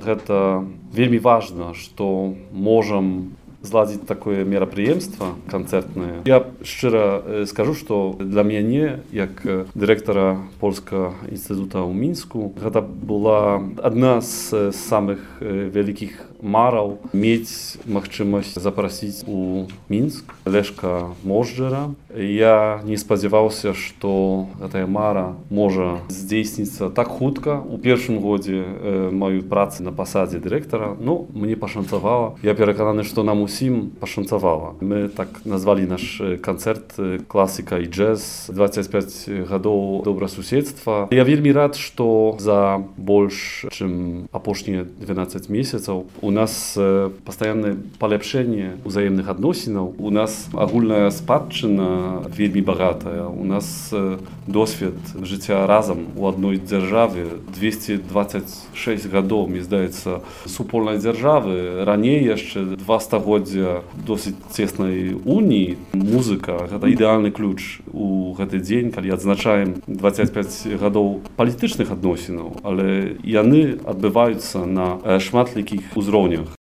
гэта вельмі важна, што можам зладзіць такое мерапрыемства канцэртнае. Я шчыра скажу, што для мяне, як дырэктара Польскага інстытута ў Мінску, гэта была адна з самых вялікіх мараў мець магчымасць запрасіць у Мінск Лешка Можджэра. Я не спадзяваўся, што гэтая мара можа здзейсніцца так хутка. У першым годзе маёй працы на пасадзе дырэктара, мне пашанцавала. Я перакананы, што нам усім пашанцавала. Мы так назвалі наш канцэрт «Класіка і джэз. 25 гадоў добрасуседства». Я вельмі рад, што за больш, чым апошнія 12 месяцаў у нас пастаяннае паляпшэнне ўзаемных адносінаў. У нас агульная спадчына вельмі багатая. У нас досвед жыцця разам у адной дзяржаве 226 гадоў, мне здаецца, супольнай дзяржавы. Раней яшчэ 2 стагоддзя досыць цеснай уніі. Музыка — гэта ідэальны ключ у гэты дзень, калі адзначаем 25 гадоў палітычных адносінаў, але яны адбываюцца на шматлікіх узроўнях.